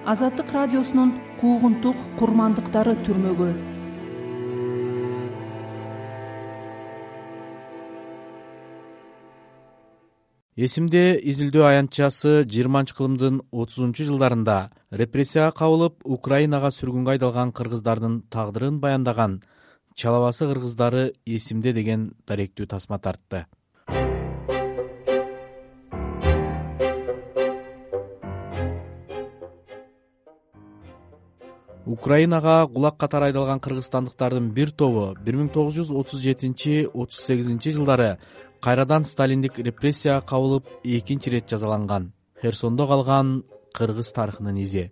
Азаттык радиосунун куугунтук курмандыктары түрмөгү. Эсимде изилдөө аянтчасы 20-кылымдын 30-жылдарында репрессияга кабылып Украинага сүргүнгө айдалган кыргыздардын тагдырын баяндаган «Чалабасы кыргыздары эсимде» деген даректүү тасма тартты. Украинага кулак катары айдалган кыргызстандыктардын бир тобу 1937-38 жылдары кайрадан сталиндик репрессияга кабылып экинчи ирет жазаланган. Херсондо калган кыргыз тарыхынын изи.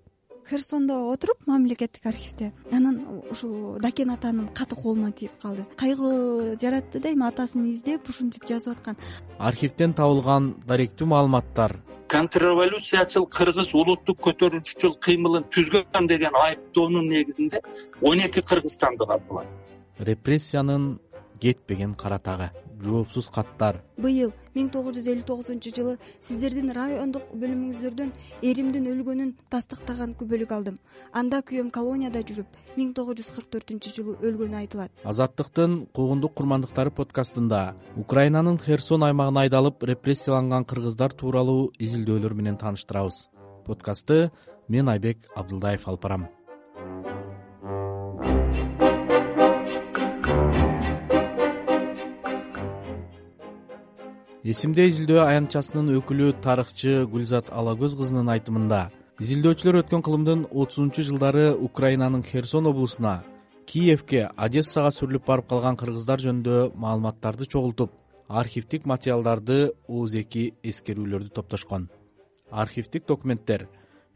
Херсондо отуруп мамлекеттик архивде анан ушул Дакен атанын каты колума тийип калды. Кайгы жаратты да, эми атасын издеп ушинтип жазып аткан. Архивден табылган даректүү маалыматтар контрреволюциячыл кыргыз улуттук көтөрүүчүчүл кыймылын түзгөн деген айыптоонун негизинде 12 кыргызстандык атылат. Репрессиянын кетпеген кара тагы, жоопсуз каттар. Быйыл 1959-жылы сиздердин райондук бөлүмүңүздөрдөн эримдин өлгөнүн тастыктаган күбөлүк алдым. Анда күйөөм колонияда жүрүп 1944-жылы өлгөнү айтылат. Азаттыктын куугунтук курмандыктары подкастында Украинанын Херсон аймагына айдалып репрессияланган кыргыздар тууралуу изилдөөлөр менен тааныштырабыз. Подкастты мен Айбек Абдылдаев алып барам. Эсимде изилдөө аянтчасынын өкүлү тарыхчы Гүлзат Алагөз кызынын айтымында, изилдөөчүлөр өткөн кылымдын 30-жылдары Украинанын Херсон облусуна, Киевке, Одессага сүрүлүп барып калган кыргыздар жөнүндө маалыматтарды чогултуп, архивдик материалдарды оозеки эскерүүлөрдү топтошкон. Архивдик документтер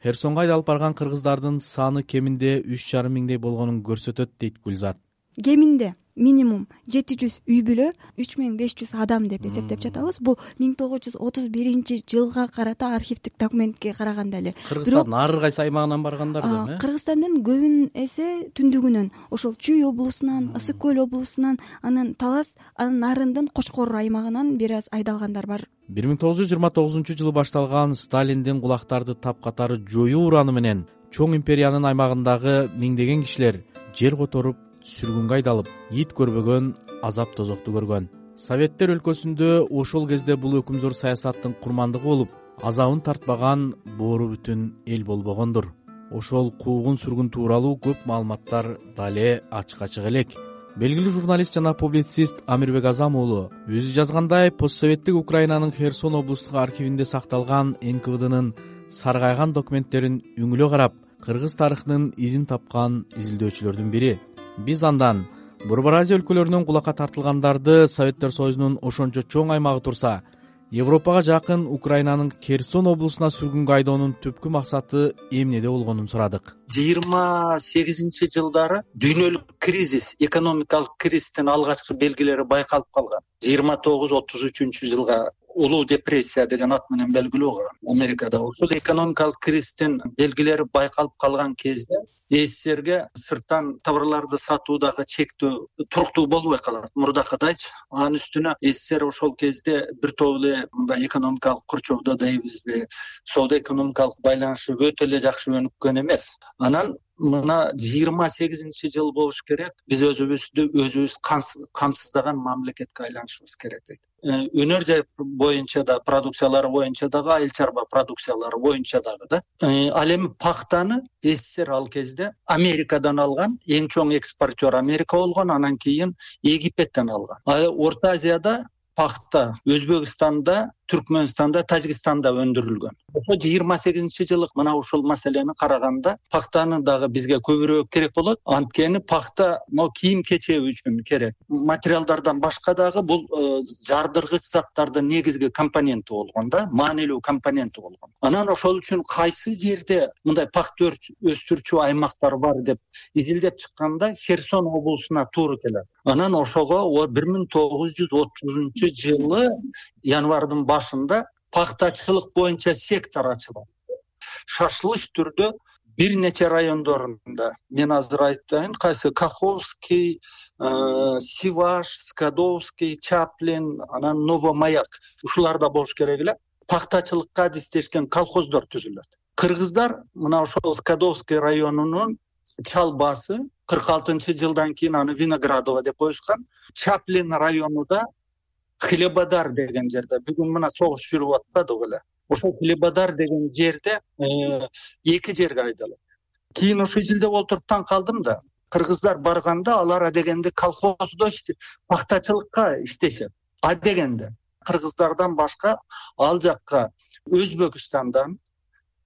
Херсонго айдалып барган кыргыздардын саны кеминде 3,5 миңдей болгонун көрсөтөт, дейт Гүлзат. Кеминде минимум 700 үй бүлө, 3500 адам деп эсептеп жатабыз. Бул 1931-жылга карата архивдик документке караганда эле. Кыргызстандын ар кайсы аймагынан баргандар да? Кыргызстандын көбүн эсе түндүгүнөн, ошол Чүй облусунан, Ысык көл облусунан, анан Талас, анын нарындын Кочкор аймагынан бир аз айдалгандар бар. 1929-жылы башталган Сталиндин кулактарды тапкатары жоюу ураны менен чоң империянын аймагындагы миңдеген кишилер жер которуп, сүргүнгө айдалып, ит көрбөгөн, азап тозокту көргөн. Советтер өлкөсүндө ошол кезде бул өкүмзор саясаттын курмандыгы болуп, азабын тартпаган боору бүтүн эл болбогондур. Ошол куугун сүргүн тууралуу көп маалыматтар дале ачык элек. Белгилүү журналист жана публицист Амирбек Азам уулу өзү жазгандай, постсоветтик Украинанын Херсон облустук архивинде сакталган НКВДнын саргайган документтерин үңүлө карап, кыргыз тарыхынын изин тапкан изилдөөчүлөрдүн бири. Биз андан Борбор Азия өлкөлөрүнөн кулакка тартылгандарды Советтер Союзунун ошончо чоң аймагы турса, Европага жакын Украинанын Херсон облусуна сүргүнгө айдоонун түпкү максаты эмнеде болгонун сурадык. 28-жылдары дүйнөлүк кризис, экономикалык кризистин алгачкы белгилери байкалып калган. 29-33-жылга улуу депрессия деген ат менен белгилүү болгон Америкада. Ошол экономикалык кризистин белгилери байкалып калган кезде СССРге сырттан товарларды сатуудагы чектөө туруктуу болбой калат. Мурдакыдайчы. Анын үстүнө СССР ошол кезде бир топ эле мындай экономикалык курчоодо дейбизби, соода-экономикалык байланышы өтө эле жакшы өнүккөн эмес. Анан мына 28-жыл болуш керек. Биз өзүбүз камсыздаган мамлекетке айланышыбыз керек дейт. Өнөр жай боюнча да, продукциялары боюнча дагы, айыл чарба продукциялары боюнча дагы да. Ал эми пахтаны СССР ал кезде Америкадан алган, эң чоң экспортер Америка болгон, анан кийин Египеттен алган. Орто Азияда пахта Өзбекстанда, Түркмөнстанда, Тажикстанда өндүрүлгөн. Ошо 28-жылы мына ушул маселени караганда пахтаны дагы бизге көбүрөөк керек болот. Анткени пахта кийим-кечек үчүн керек. Материалдардан башка дагы бул жардыргыч заттардын негизги компоненти болгон да, маанилүү компоненти болгон. Анан ошол үчүн кайсы жерде мындай пахта өстүрчү аймактар бар деп изилдеп чыкканда Херсон облусуна туура келет. Анан ошого 1930-жылы январдын башында пахтачылык боюнча сектор ачылат. Шашылыш түрдө бир нече райондорунда, мен азыр айтайын, кайсы Каховский, Сиваш, Скадовский, Чаплин, анан Новомаяк ушуларда болуш керек эле. Пахтачылыкка адистешкен колхоздор түзүлөт. Кыргыздар мына ошол Скадовский районунун чалбасы 46-жылдан кийин аны Виноградово деп коюшкан. Чаплин районунда Хлебодар деген жерде бүгүн мына согуш жүрүп атпадыбы эле. Ошол Хлебодар деген жерде эки жерге айдалат. Кийин ошо изилдеп отуруп таң калдым да. Кыргыздар барганда алар адегенде колхоздо пахтачылыкка иштешет. Адегенде кыргыздардан башка ал жакка Өзбекстандан,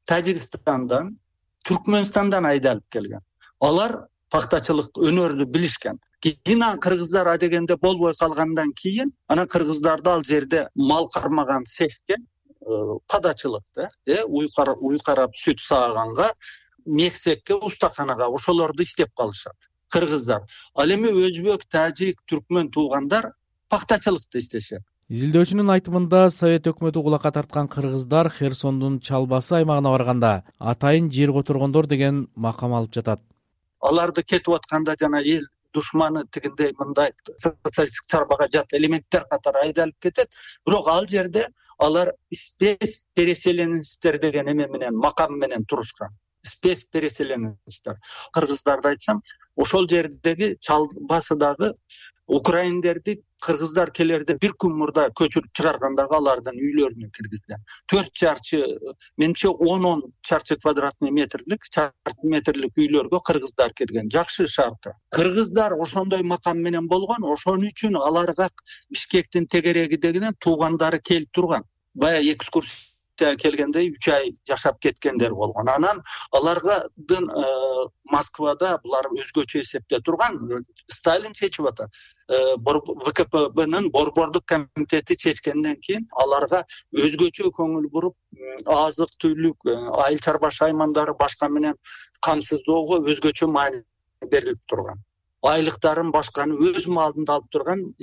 Тажикстандан, Түркмөнстандан айдалып келген. Алар пахтачылык өнөрдү билишкен. Кийин кыргыздар адегенде болбой калгандан кийин анан кыргыздарды ал жерде мал кармаган цехке, падачылыкта, уй карап сүт сааганга, мексекке, устаканага ошолорду иштеп калышат кыргыздар. Ал эми өзбек, тажик, түркмөн туугандар пахтачылыкты иштешет. Изилдөөчүнүн айтымында Совет өкмөтү кулакка тарткан кыргыздар Херсондун чалбасы аймагына барганда атайын жер которгондор деген макам алып жатат. Аларды кетип атканда жана эл душманы тигиндей мындай социалисттик чарбага жат элементтер катары айдалып кетет. Бирок ал жерде алар спецпереселенецтер деген эме менен, макам менен турушкан. Спецпереселенецтер. Кыргыздарды айтсам, ошол жердеги чалбасыдагы украиндерди кыргыздар келерде бир күн мурда көчүрүп чыгаргандагы алардын үйлөрүнө киргизген. 4 чарчы, менимче 10 чарчы квадратный метрлик үйлөргө кыргыздар кирген. Жакшы шарты. Кыргыздар ошондой макам менен болгон, ошон үчүн аларга Бишкектин тегерегидегинен туугандары келип турган. Бая экскурсия келгенде 3 ай жашап кеткендер болгон. Анан алардын Москвада булар өзгөчө эсепте турган. Сталин чечип атат. ВКПБнын борбордук комитети чечкенден кийин аларга өзгөчө көңүл буруп, азык түлүк, айыл чарба шаймандары башка менен камсыздоого өзгөчө маани берилип турган. Айлыктарын башканы өз малында алып турган,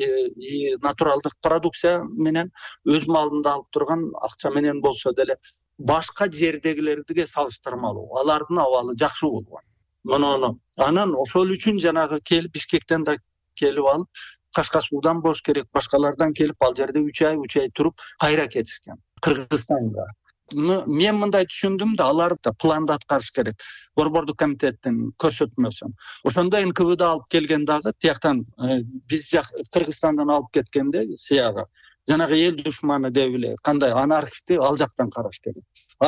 натуралдык продукция менен өз малында алып турган акча менен болсо деле башка жердегилерге салыштырмалуу алардын абалы жакшы болгон. Муну анан ошол үчүн жанагы келип Бишкектен да келип алып, Кашкасуудан болуш керек, башкалардан келип ал жерде 3 ай туруп кайра кетишкен Кыргызстанга. Мен мындай түшүндүм да, алар да планды аткарыш керек. Борбордук комитеттин көрсөтмөсүн. Ошондо НКВД алып келген дагы тияктан биз Кыргызстандан алып кеткенде сыяга жанагы эл душманы деп эле кандай анархисти ал жактан караш керек.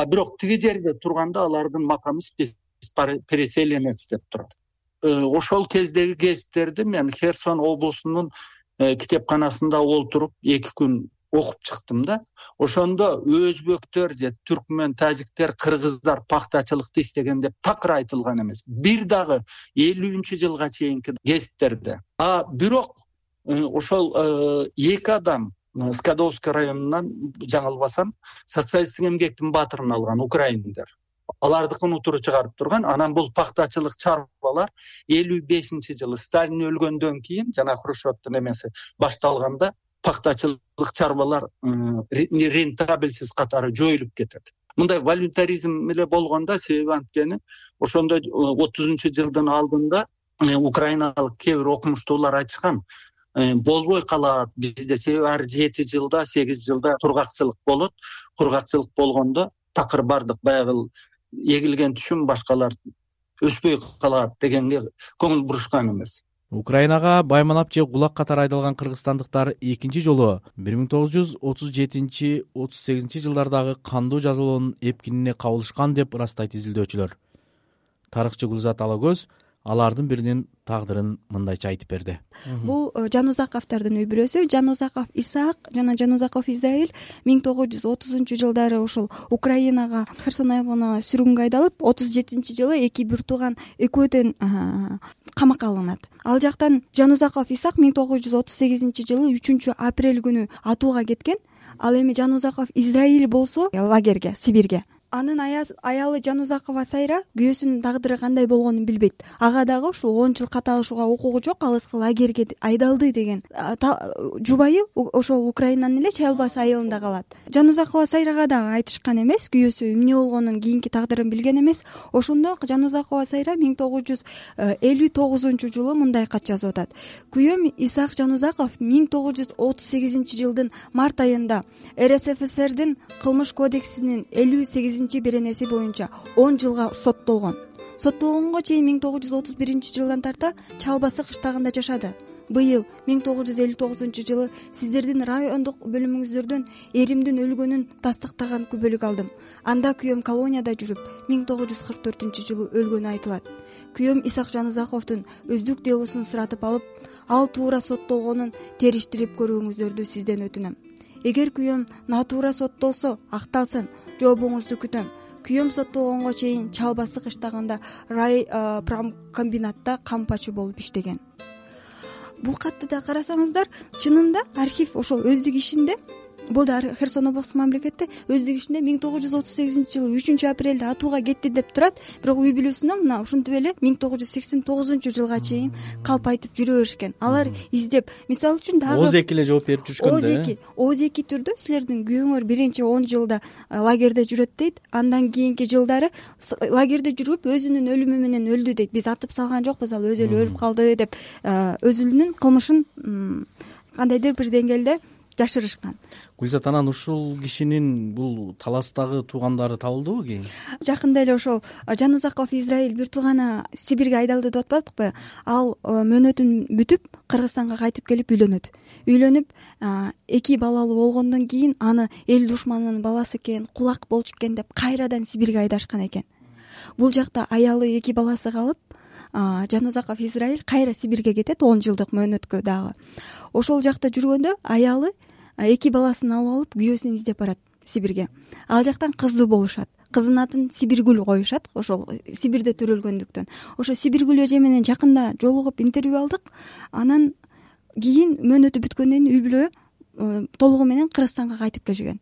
Бирок тиги жерде турганда алардын макамы переселенец деп турат. Ошол кездеги гезиттерди мен Херсон облусунун китепканасында олтуруп 2 күн окуп чыктым да. Ошондо өзбөктөр же түркмөн, тажиктер, кыргыздар пахтачылыкты иштеген деп такыр айтылган эмес. Бир дагы 50-жылга чейинки гезиттерде. Бирок ошол 2 адам Скадовский районунан, жаңылбасам, социалисттик эмгектин баатырын алган украиндер. Алардыкын утуру чыгарып турган. Анан бул пахтачылык чарбалар 55-жылы Сталин өлгөндөн кийин, жана Хрущевдун эмеси башталганда пахтачылык чарбалар рентабельсиз катары жоюлуп кетет. Мындай волюнтаризм эле болгондо, себеби анткени ошондо 30-жылдын алдында украиналык кээ бир окумуштуулар айтышкан, болбой калат бизде, себеби ар 7 жылда, 8 жылда кургакчылык болот. Кургакчылык болгондо такыр бардык баягы эгилген түшүм башкалар өспөй калат дегенге көңүл бурушкан эмес. Украинага байманап же кулак катары айдалган кыргызстандыктар экинчи жолу 1937-38 жылдардагы кандуу жазалоонун эпкинине кабылышкан деп ырастайт изилдөөчүлөр. Тарыхчы Гүлзат Алагөз алардын биринин тагдырын мындайча айтып берди. Бул Жанузаковдордун үй бүлөсү. Жанузаков Исаак жана Жанузаков Израиль 1930-жылдары ошол Украинага, Херсон аймагына сүргүнгө айдалып, 37-жылы эки бир тууган экөөдөн камакка алынат. Ал жактан Жанузаков Исаак 1938-жылы 3-апрель күнү атууга кеткен. Ал эми Жанузаков Израиль болсо лагерге, Сибирге. Анын аялы Жанузакова Сайра күйөөсүнүн тагдыры кандай болгонун билбейт. Ага дагы ушул 10 жыл каталышууга укугу жок, алыскы лагерге айдалды деген жубайы ошол Украинанын эле чалбасы айылында калат. Жанузакова Сайрага дагы айтышкан эмес, күйөөсү эмне болгонун, кийинки тагдырын билген эмес. Ошондо Жанузакова Сайра 1959-жылы мындай кат жазып атат. Күйөөм Исаак Жанузаков 1938-жылдын март айында РСФСРдин кылмыш кодексинин 58 8 беренеси боюнча 10 жылга соттолгонго чейин 1931 тарта Чалбасы кыштагында жашады. Быйыл 1959 сиздердин райондук бөлүмүңүздөрдөн эримдин өлгөнүн тастыктаган күбөлүк алдым. Анда күйөөм колонияда жүрүп 1944 өлгөнү айтылат. Күйөөм Исак Жанузаковдун өздүк делосун суратып алып, ал туура соттолгонун териштирип көрүүңүздөрдү сизден өтүнөм. Эгер күйөөм натуура соттолсо, акталсын, жообуңузду күтөм. Күйөөм соттолгонго чейин Чалбасы кыштагында рай промкомбинатта кампачы болуп иштеген. Бул катты да карасаңыздар, чынында архив ошол өздүк ишинде, бул да Херсон облустук мамлекетте өздүк ишинде 1938 3 апрелде атууга кетти деп турат, бирок үй бүлөсүнө мына ушинтип эле 1989 жылга чейин калп айтып жүрө беришкен. Алар издеп, мисалы үчүн дагы ооз эки эле жооп берип жүрүшкөн да. Ооз эки түрдө силердин күйөөңөр биринчи 10 жылда лагерде жүрөт дейт, андан кийинки жылдары лагерде жүрүп өзүнүн өлүмү менен өлдү дейт. Биз атып салган жокпуз, ал өзү эле өлүп калды деп өзүнүн кылмышын кандайдыр бир деңгээлде жашырышкан. Гүлзат, анан ушул кишинин бул таластагы туугандары табылдыбы кийин? Жакында эле ошол Жанузаков Израиль бир тууганы Сибирге айдалды деп атпадыкпы? Ал мөөнөтүн бүтүп Кыргызстанга кайтып келип үйлөнүп, 2 балалуу болгондон кийин аны эл душманынын баласы экен, кулак болчу экен деп кайрадан Сибирге айдашкан экен. Бул жакта аялы 2 баласы калып, Жанузаков Израиль кайра Сибирге кетет 10 жылдык мөөнөткө дагы. Ошол жакта жүргөндө аялы 2 баласын алып алып күйөөсүн издеп барат Сибирге. Ал жактан кыздуу болушат. Кыздын атын Сибиргүл коюшат, ошол Сибирде төрөлгөндүктөн. Ошо Сибиргүл эже менен жакында жолугуп интервью алдык. Анан кийин мөөнөтү бүткөндөн кийин үй бүлө толугу менен Кыргызстанга кайтып келишкен.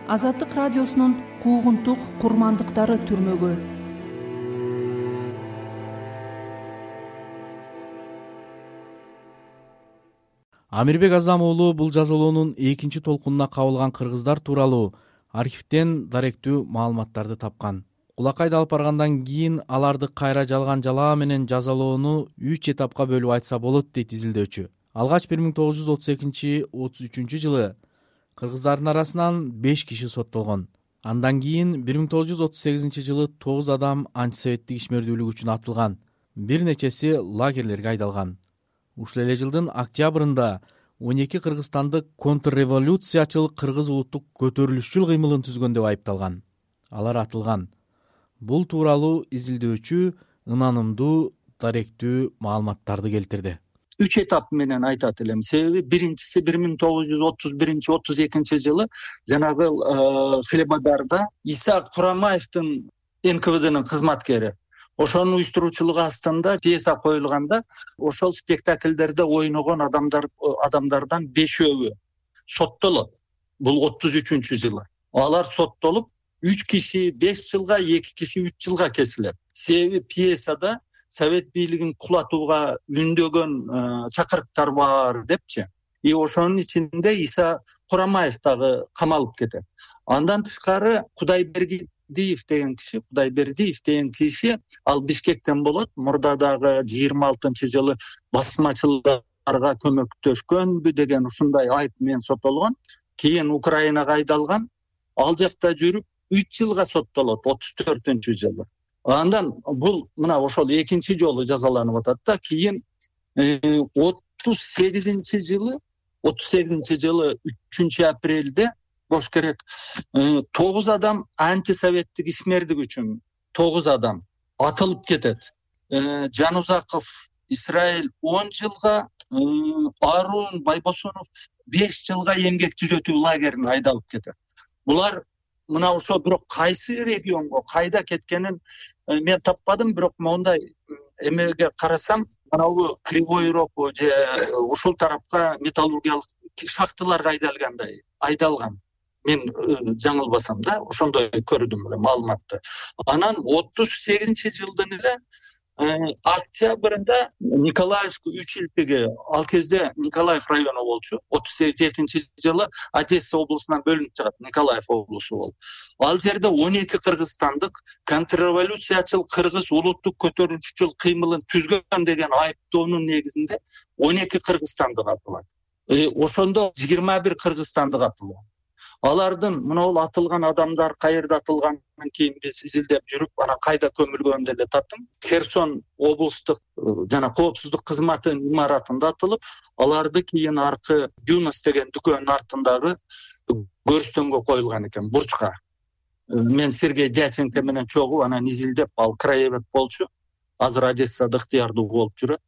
Азаттык радиосунун куугунтук курмандыктары түрмөгө. Амирбек Азам уулу бул жазалоонун экинчи толкунуна кабылган кыргыздар тууралуу архивден даректүү маалыматтарды тапкан. Кулакайды алып баргандан кийин аларды кайра жалган жалаа менен жазалоону 3 этапка бөлүп айтса болот дейт изилдөөчү. Алгач 1932-33 жылы кыргыздардын арасынан 5 киши соттолгон. Андан кийин 1938 жылы 9 адам антисоветтик ишмердүүлүк үчүн атылган. Бир нечеси лагерлерге айдалган. Ушул эле жылдын октябрында 12 кыргызстандык контрреволюциячыл кыргыз улуттук көтөрүлүшчүл кыймылын түзгөн деп айыпталган. Алар атылган. Бул тууралуу изилдөөчү ынанымдуу даректүү маалыматтарды келтирди. 3 этап менен айтат элем. Себеби биринчиси 1931-32 жылы жанагы Хлебодарда Иса Курамаевдин НКВДнын кызматкери. Ошонун уюштуруучулугу астында пьеса коюлганда, ошол спектакльдерде ойногон адамдардан 5-өө соттолот. Бул 33-жылы. Алар соттолуп 3 киши 5 жылга, 2 киши 3 жылга кесилет. Себеби пьесада Совет бийлигин кулатууга үндөгөн чакырыктар бар депчи. И ошонун ичинде Иса Курамаев дагы камалып кетет. Андан тышкары Кудайбердиев деген киши, ал Бишкектен болот. Мурда дагы 26-жылы басмачыларга көмөктөшкөнбү деген ушундай айып менен соттолгон. Кийин Украинага айдалган. Ал жакта жүрүп 3 жылга соттолот 34-жылы. Андан бул мына ошол экинчи жолу жазаланып атат да. Кийин 38-жылы 3 апрелде болуш керек 9 адам антисоветтик ишмердик үчүн 9 адам атылып кетет. Жанузаков Израиль 10 жылга, Арун Байбосунов 5 жылга эмгек түзөтүү лагерине айдалып кетет. Булар мына ошо бирок кайсы регионго кайда кеткенин мен таппадым, бирок мондай эмеге карасам, анау Кривой Рог же ушул тарапка металлургиялык шахталарга айдалган. Мен жаңылбасам да, ошондой көрдүм маалыматты. Анан 38-жылдын эле октябрында Николаевск үчилтиги, ал кезде Николаев району болчу. 37-жылы Одесса облусунан бөлүнүп чыгат, Николаев облусу болуп. Ал жерде 12 кыргызстандык контрреволюциячыл кыргыз улуттук көтөрүлүшчүл кыймылын түзгөн деген айыптоонун негизинде 12 кыргызстандык атылат. ошондо 21 кыргызстандык атылган. Алардын мына атылган адамдар каерде атылгандан кийин биз изилдеп жүрүп, анан кайда көмүлгөнүн деле таптым. Херсон облустук жана коопсуздук кызматынын имаратында атылып, аларды кийин аркы Юнус деген дүкөндүн артындагы көрүстөнгө коюлган экен, бурчка. Мен Сергей Дяченко менен чогуу анан изилдеп, ал краевед болчу. Азыр Одессада ыктыярдуу болуп жүрөт.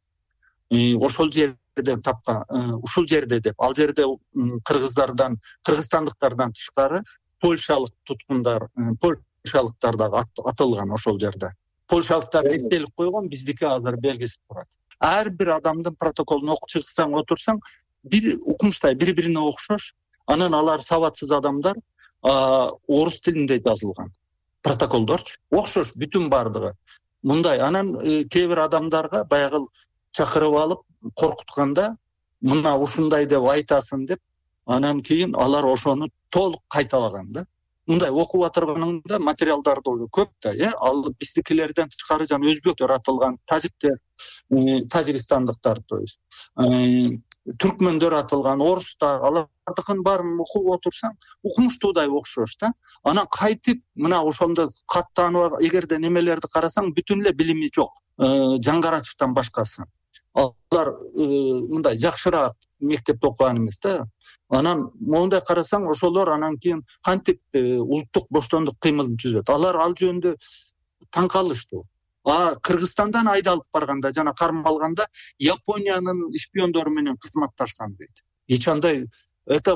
Ошол жерден тапкан, ушул жерде деп, ал жерде кыргызстандыктардан тышкары польшалык туткундар, польшалыктар дагы атылган ошол жерде. Польшалыктар эстелик койгон, биздики азыр белгисиз турат. Ар бир адамдын протоколун окуп чыксаң, отурсаң, бир укмуштай бири-бирине окшош. Анан алар сабатсыз адамдар орус тилинде жазылган протоколдорчу. Окшош бүтүн бардыгы. Мындай анан кээ бир адамдарга баягы чакырып алып коркутканда, мына ушундай деп айтасың деп, анан кийин алар ошону толук кайталаган да. Мындай окуп атырганыңда материалдарды уже көп да, ал биздикилерден тышкары жана өзбектер атылган, тажиктер, тажикстандыктар, то есть түркмөндөр атылган, орустар, алардыкын баарын окуп отурсаң, укмуштуудай окшош да. Анан кайтып мына ошондо каттанып, эгерде немелерди карасаң, бүтүн эле билими жок. Жаңгарачевден башкасы. Алар мындай жакшыраак мектепте окуган эмес да. Анан мондай карасаң, ошолор анан кийин кантип улуттук боштондук кыймылын түзөт. Алар ал жөнүндө таң калыштуу. Кыргызстандан айдалып барганда жана кармалганда Япониянын шпиондору менен кызматташкан дейт. Эч андай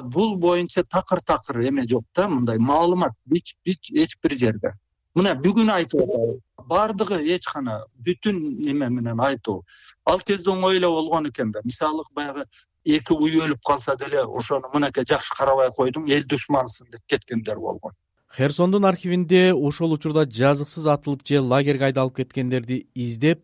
бул боюнча такыр эме жок да, мындай маалымат эч бир жерде. Мына бүгүн айтып атабыз. Бардыгы эч кана бүтүн неме менен айтуу. Ал кезде оңой эле болгон экен да. Мисалы баягы эки уй өлүп калса деле ошону мынакей жакшы карабай койдуң, эл душмансың деп кеткендер болгон. Херсондун архивинде ошол учурда жазыксыз атылып же лагерге айдалып кеткендерди издеп,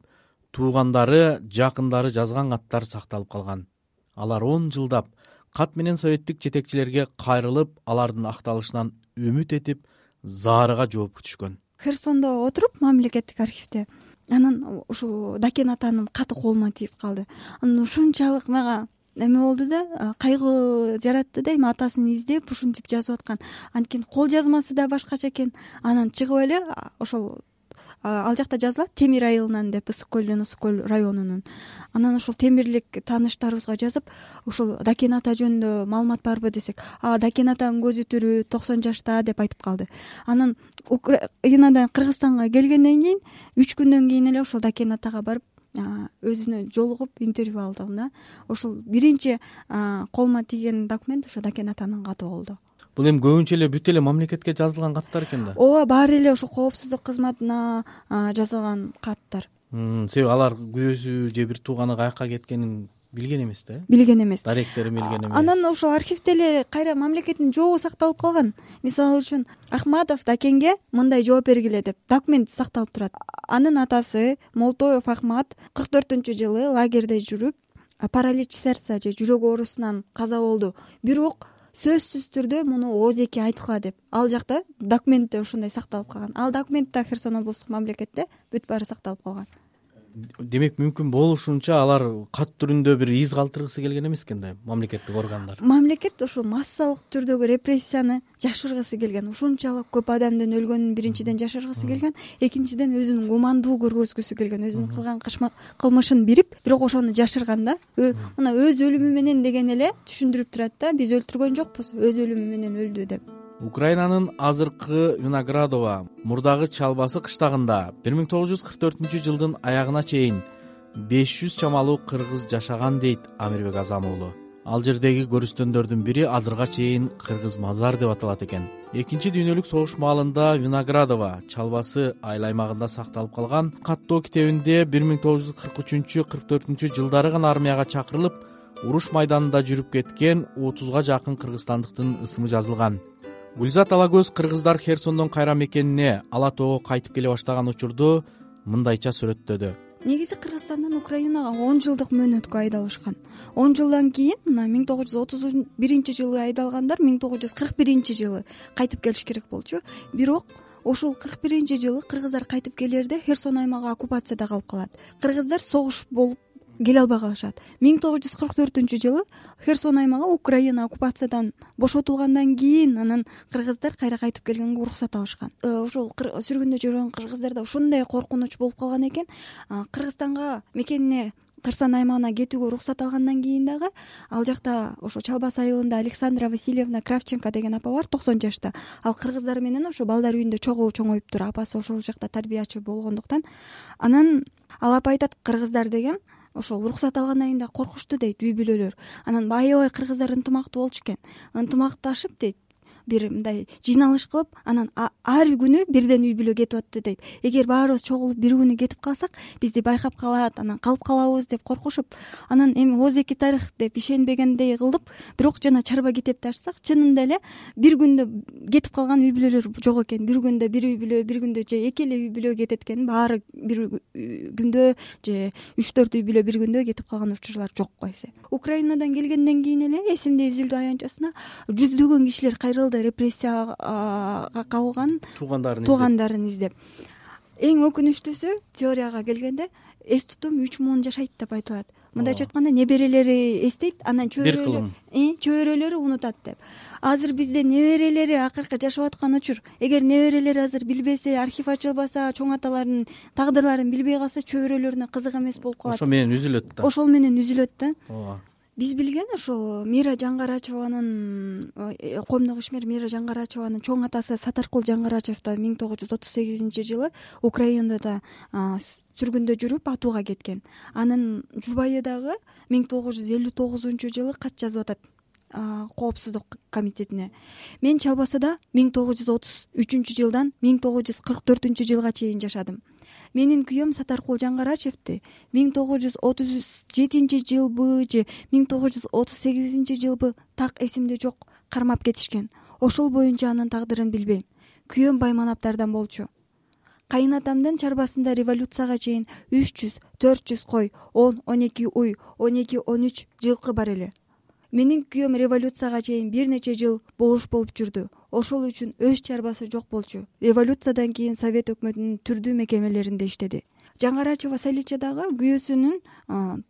туугандары, жакындары жазган каттар сакталып калган. Алар 10 жылдап кат менен советтик жетекчилерге кайрылып, алардын акталышынан үмүт этип, заарыга жооп күтүшкөн. Херсондо отуруп мамлекеттик архивде, анан ушу Дакен атанын каты колума тийип калды. Анан ушунчалык мага эме болду да, кайгы жаратты да, эми атасын издеп ушинтип жазып аткан. Анткени кол жазмасы да башкача экен. Анан чыгып эле ошол ал жакта жазылат, Темир айылынан деп, Ысык-көл районунун. Анан ошол темирлик тааныштарыбызга жазып, ошол Дакен ата жөнүндө маалымат барбы десек, Дакен атанын көзү тирүү, 90 жашта деп айтып калды. Анан Украинадан Кыргызстанга келгенден кийин 3 күндөн кийин эле ошол Дакен атага барып өзүнө жолугуп интервью алдым да. Ошол биринчи колума тийген документ ошо Дакен атанын каты болду. Бул эми көбүнчө эле бүт эле мамлекетке жазылган каттар экен да. Ооба, баары эле ошо коопсуздук кызматына жазылган каттар. Себеби алар күйөөсү же бир тууганы каяка кеткенин билген эмес да. Билген эмес. Даректерин билген эмес. Анан ошол архивде эле кайра мамлекеттин жообу сакталып калган. Мисалы үчүн Ахматов Дакенге мындай жооп бергиле деп документ сакталып турат. Анын атасы Молтоев Ахмат 44-жылы лагерде жүрүп, паралич сердца же жүрөк оорусунан каза болду. Бирок сөзсүз түрдө муну ооз-эки айткыла деп ал жакта документте ушундай сакталып калган. Ал документте Херсон облустук мамлекетте бүт баары сакталып калган. Демек мүмкүн болушунча алар кат түрүндө бир из калтыргысы келген эмес экен да мамлекеттик органдар. Мамлекет ошо массалык түрдөгү репрессияны жашыргысы келген. Ушунчалык көп адамдын өлгөнүн биринчиден жашыргысы келген, экинчиден өзүнүн гумандуу көргөзгүсү келген, өзүнүн кылган кылмышын бирип, бирок ошону жашырган да. Мына өз өлүмү менен деген эле түшүндүрүп турат да, биз өлтүргөн жокпуз, өз өлүмү менен өлдү деп. Украинанын азыркы Виноградово мурдагы Чалбасы кыштагында 1944-жылдын аягына чейин 500 чамалуу кыргыз жашаган дейт Амирбек Азам уулу. Ал жердеги көрүстөндөрдүн бири азырга чейин Кыргыз мазар деп аталат экен. Экинчи дүйнөлүк согуш маалында Виноградово, Чалбасы айыл аймагында сакталып калган каттоо китебинде 1943-44 жылдары гана армияга чакырылып, уруш майданында жүрүп кеткен 30га жакын кыргызстандыктын ысымы жазылган. Гүлзат Алагөз кыргыздар Херсондон кайра мекенине Ала тоого кайтып келе баштаган учурду мындайча сүрөттөдү. Негизи Кыргызстандан Украинага 10 жылдык мөөнөткө айдалышкан. 10 жылдан кийин мына 1931-жылы айдалгандар 1941-жылы кайтып келиш керек болчу. Бирок ошол 41-жылы кыргыздар кайтып келерде Херсон аймагы оккупацияда калып калат. Кыргыздар согуш болуп келе албай калышат. 1944-жылы Херсон аймагы Украина оккупациядан бошотулгандан кийин анан кыргыздар кайра кайтып келгенге уруксат алышкан. Ошол сүргүндө жүргөн кыргыздарда ошондой коркунуч болуп калган экен. Кыргызстанга мекенине Кырсан аймагына кетүүгө уруксат алгандан кийин дагы ал жакта ошо Чалбас айылында Александра Васильевна Кравченко деген апа бар, 90 жашта. Ал кыргыздар менен ошо балдар үйүндө чоңоюптур. Апасы ошол жакта тарбиячы болгондуктан. Анан ал апа айтат, кыргыздар деген ошол уруксат алгандан кийин да коркушту дейт, үй бүлөлөр. Анан аябай кыргыздар ынтымактуу болчу экен. Ынтымакташып дейт, бир мындай жыйналыш кылып, анан ар күнү бирден үй бүлө кетип атты дейт. Эгер баарыбыз чогулуп бир күнү кетип калсак, бизди байкап калат, анан калып калабыз деп коркушуп, анан эми ооз-эки тарых деп ишенбегендей кылып, бирок жана чарба китепти ачсак, чынында эле бир күндө кетип калган үй бүлөлөр жок экен. Бир күндө бир үй бүлө, бир күндө же эки эле үй бүлө кетет экен. Баары бир күндө же 3-4 үй бүлө бир күндө кетип калган учурлар жок койсо. Украинадан келгенден кийин эле эсимде үзүлдү аянтчасына жүздөгөн кишилер кайрылды, репрессияга кабылган туугандарын издеп. Эң өкүнүчтүүсү, теорияга келгенде, эс тутум 3000 жашайт деп айтылат. Мындайча айтканда, неберелери эстейт, анан чөбөрөлөрү унутат деп. Азыр бизде неберелери акыркы жашап аткан учур. Эгер неберелери азыр билбесе, архив ачылбаса, чоң аталардын тагдырларын билбей калса, чөбөрөлөрүнө кызык эмес болуп калат. Ошол менен үзүлөт да. Ошол менен үзүлөт да. Биз билген ошол Мира Жаңгарачеванын, коомдук ишмер Мира Жаңгарачеванын чоң атасы Сатаркул Жаңгарачев да 1938-жылы Украинада сүргүндө жүрүп атууга кеткен. Анын жубайы дагы 1959-жылы кат жазып атат Коопсуздук комитетине. Мен Чалбасада 1933-жылдан 1944-жылга чейин жашадым. Менин күйөөм Сатаркул Жаңгарачевди 1937-жылбы же 1938-жылбы так эсимде жок, кармап кетишкен. Ошол боюнча анын тагдырын билбейм. Күйөөм Байманапдардан болчу. Кайынатамдын чарбасында революцияга чейин 300-400 кой, 10-12 уй, 12-13 жылкы бар эле. Менин күйөөм революцияга чейин бир нече жыл болуш болуп жүрдү. Ошол үчүн өз чарбасы жок болчу. Революциядан кийин Совет өкмөтүнүн түрдүү мекемелеринде иштеди. Жаңгарачева Салича дагы күйөөсүнүн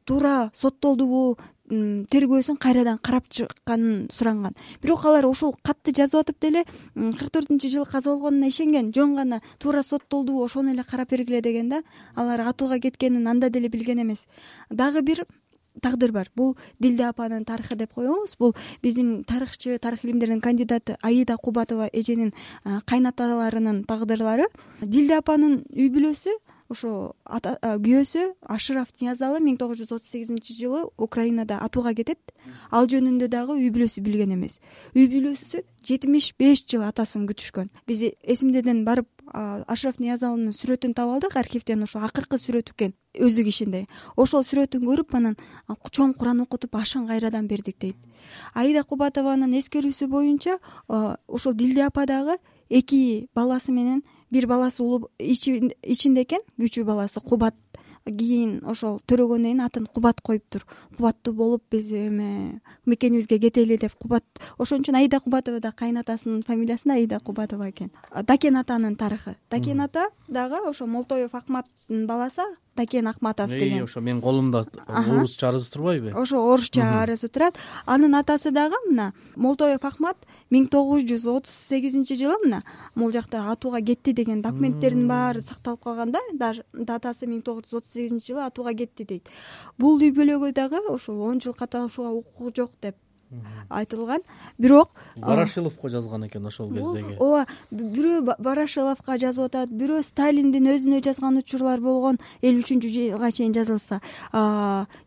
туура соттолдубу, тергөөсүн кайрадан карап чыкканын суранган. Бирок алар ушул катты жазып атып деле 44-жылы каза болгонуна ишенген, жөн гана туура соттолдубу, ошону эле карап бергиле деген да. Алар атууга кеткенин анда деле билген эмес. Дагы бир тагдыр бар. Бул Дилде апанын тарыхы деп коебуз. Бул биздин тарыхчы, тарых илимдеринин кандидаты Аида Кубатова эженин кайнаталарынын тагдырлары. Дилде апанын үй бүлөсү, ошо күйөөсү Ашраф Ниязалы 1938-жылы Украинада атууга кетет. Ал жөнүндө дагы үй бүлөсү билген эмес. Үй бүлөсү 75 жыл атасын күтүшкөн. Биз эсимдеден барып Ашраф Ниязалынын сүрөтүн таап алдык архивден, ошо акыркы сүрөтү экен, өздүк ишинде. Ошол сүрөтүн көрүп, анан чоң Куран окутуп ашын кайрадан бердик дейт. Аида Кубатованын эскерүүсү боюнча, ошол Дилде апа дагы 2 баласы менен, бир баласы улуу ичинде экен, күйчү баласы Кубат. Кийин ошол төрөгөндөн кийин атын Кубат коюптур. Кубаттуу болуп биз мекенибизге кетели деп Кубат. Ошон үчүн Аида Кубатова да кайнатасынын фамилиясында Аида Кубатова экен. Такен атанын тарыхы. Такен ата дагы ошо Молтоев Акматтын баласы Такен Акматов деген. Ошо менин колумда орусча арызы турбайбы? Ошо орусча арызы турат. Анын атасы дагы мына Молтоев Акмат 1938-жылы мына могул жакта атууга кетти деген документтердин баары сакталып калган да. Датасы 1938-жылы атууга кетти дейт. Бул үй бүлөгө дагы ошол 10 жыл катышууга укугу жок деп айтылган. Бирок Барашиловго жазган экен ошол кездеги. Ооба, бирөө Барашиловго жазып атат, бирөө Сталиндин өзүнө жазган учурлар болгон 53-жылга чейин жазылса.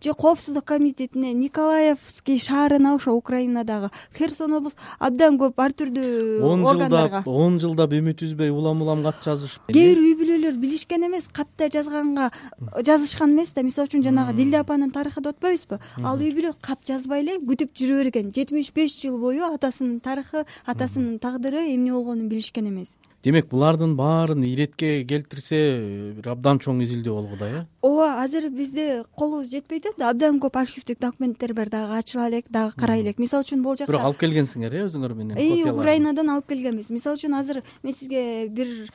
Же Коопсуздук комитетине, Николаевский шаарына, ошо Украинадагы Херсон облус абдан көп ар түрдүү органдарга 10 жылдап үмүт үзбөй улам кат жазышып. Кээ бир үй бүлөлөр билишкен эмес, катта жазганга жазышкан эмес да. Мисалы үчүн жанагы Дилде апанын тарыхы деп атпайбызбы? Ал үй бүлө кат жазбай эле күтүп жүрө берген. 75 жыл бою атасынын тарыхы, атасынын тагдыры эмне болгонун билишкен эмес. демек булардын баарын иретке келтирсе бир абдан чоң изилдөө болгу да, ооба, азыр бизде колубуз жетпей атат, абдан көп архивдик документтер бар, дагы ачыла элек, дагы карай элек. Мисалы үчүн бул жакта бирок алып келгенсиңер өзүңөр менен копияларды. Украинадан алып келгенбиз. Мисалы үчүн азыр мен сизге бир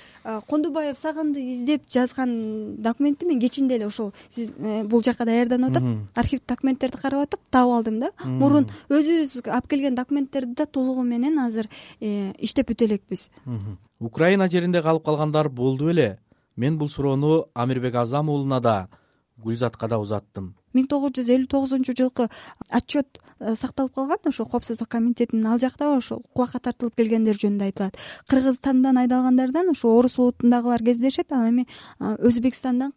Кондубаев Саганды издеп жазган документти мен кечинде эле ошол сиз бул жака даярданып атып, архив документтерди карап атып таап алдым да. Мурун өзүбүз алып келген документтерди да толугу менен азыр иштеп бүтө элекпиз. Украина жеринде калып калгандар болду беле? Мен бул суроону Амирбек Азам уулуна да, Гүлзатка да узаттым. 1959-жылкы отчет сакталып калган ошо Коопсуздук комитетинин, ал жакта ошол кулакка тартылып келгендер жөнүндө айтылат. Кыргызстандан айдалгандардан ошо орус улутундагылар кездешет, ал эми Өзбекстандан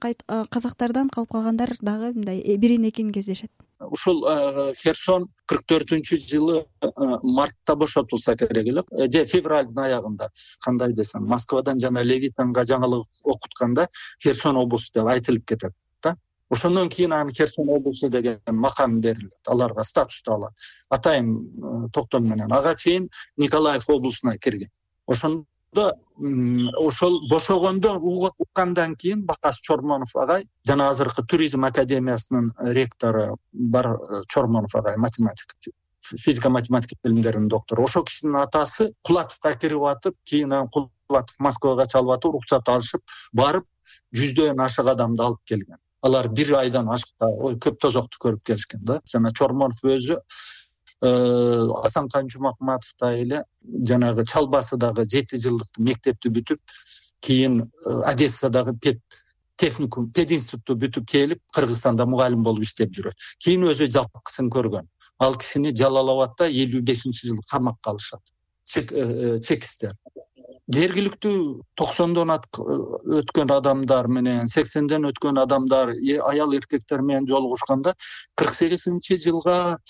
казактардан калып калгандар дагы мындай бирин экин кездешет. Ушул Херсон 44-жылы мартта бошотулса керек эле, же февралдын аягында, кандай десем, Москвадан жана Левитанга жаңылык окутканда Херсон облусу деп айтылып кетет да. Ошондон кийин аны Херсон облусу деген макам берилет, аларга статусту алат. Атайын токтом менен ага чейин Николаев облусуна кирген. Ошондо ошол бошогондо уккандан кийин Бакас Чормонов агай жана азыркы туризм академиясынын ректору бар Чормонов агай, математик, физика математика билимдеринин доктору, ошол кишинин атасы Кулатовго кирип атып, кийин Кулатов Москвага чалып атып, уруксат алышып барып жүздөн ашык адамды алып келген. Алар бир айдан ашыкта көп тозокту көрүп келишкен да. Жана Чормонов өзү Асанкан Жумакматовдай эле жанагы Чалбасыдагы 7 жылдык мектепти бүтүп, кийин Одессадагы пединститутту бүтүп келип, Кыргызстанда мугалим болуп иштеп жүрөт. Кийин өзү жалкысын көргөн. Ал кишини Жалал Абадда 55-жылы камакка алышат. Чекистер. Жергиликтүү 90дон өткөн адамдар менен 80ден өткөн адамдар, аял эркектер менен жолугушканда 48-жылга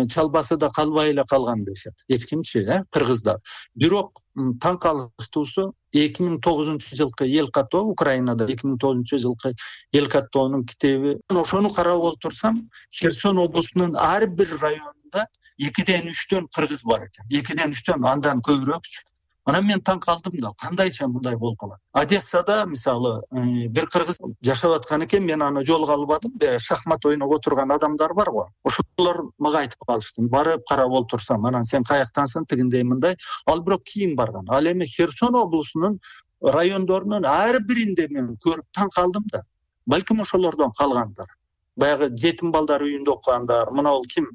Чалбасыда калбай эле калган дешет. Эч кимчи, кыргыздар. Бирок таң калыштуусу 2009-жылкы эл каттоо, Украинада 2009-жылкы эл каттоонун китеби. Ошону карап отурсам, Херсон облусунун ар бир районунда 2ден 3төн кыргыз бар экен. 2ден 3төн, андан көбүрөөкчү. Анан мен таң калдым да, кандайча мындай болуп калат. Одессада мисалы бир кыргыз жашап аткан экен, мен аны жолуга албадым. Шахмат ойноп отурган адамдар бар го. Ошолор мага айтып калышты. Барып карап отурсам, анан сен каяктансың, тигиндей мындай. Ал бирок кийин барган. Ал эми Херсон облусунун райондорунун ар биринде мен көрүп таң калдым да. Балким ошолордон калгандар. Баягы жетим балдар үйүндө окугандар, мына ал ким,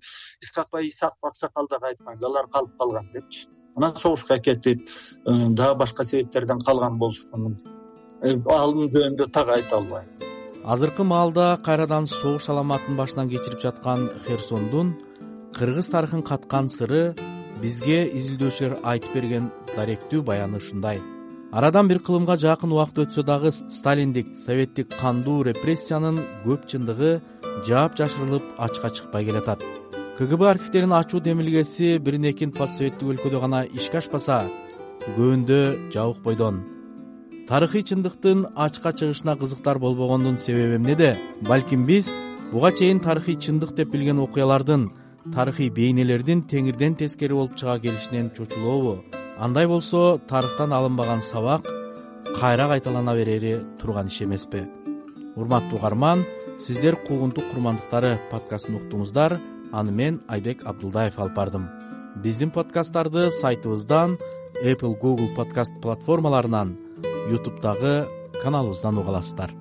Исакбай Аксакалдагы айткан, алар калып калган депчи. Анан согушка кетип, дагы башка себептерден калган болушу мүмкүн. Алын жөнүндө так айта албайм. Азыркы маалда кайрадан согуш саламатын башынан кечирип жаткан Херсондун кыргыз тарыхын каткан сыры бизге изилдөөчүлөр айтып берген даректүү баяны ушундай. Арадан бир кылымга жакын убакыт өтсө дагы сталиндик, советтик кандуу репрессиянын көп чындыгы жаап жашырылып ачка чыкпай келатат. КГБ архивтеринин ачуу демилгеси бирин экин постсоветтик өлкөдө гана ишке ашпаса, көбүндө жабык бойдон. Тарыхый чындыктын ачка чыгышына кызыктар болбогондун себеби эмнеде? Балким биз буга чейин тарыхый чындык деп билген окуялардын, тарыхый бейнелердин теңирден тескери болуп чыга келишинен чочулообу? Андай болсо, тарыхтан алынбаган сабак кайра кайталана берери турган иш эмеспи? Урматтуу угарман, сиздер Куугунтук курмандыктары подкастын уктуңуздар. Аны мен Айбек Абдулдаев алып бардым. Биздин подкасттарды сайтыбыздан, Apple, Google подкаст платформаларынан, YouTube'дагы каналыбыздан уга аласыздар.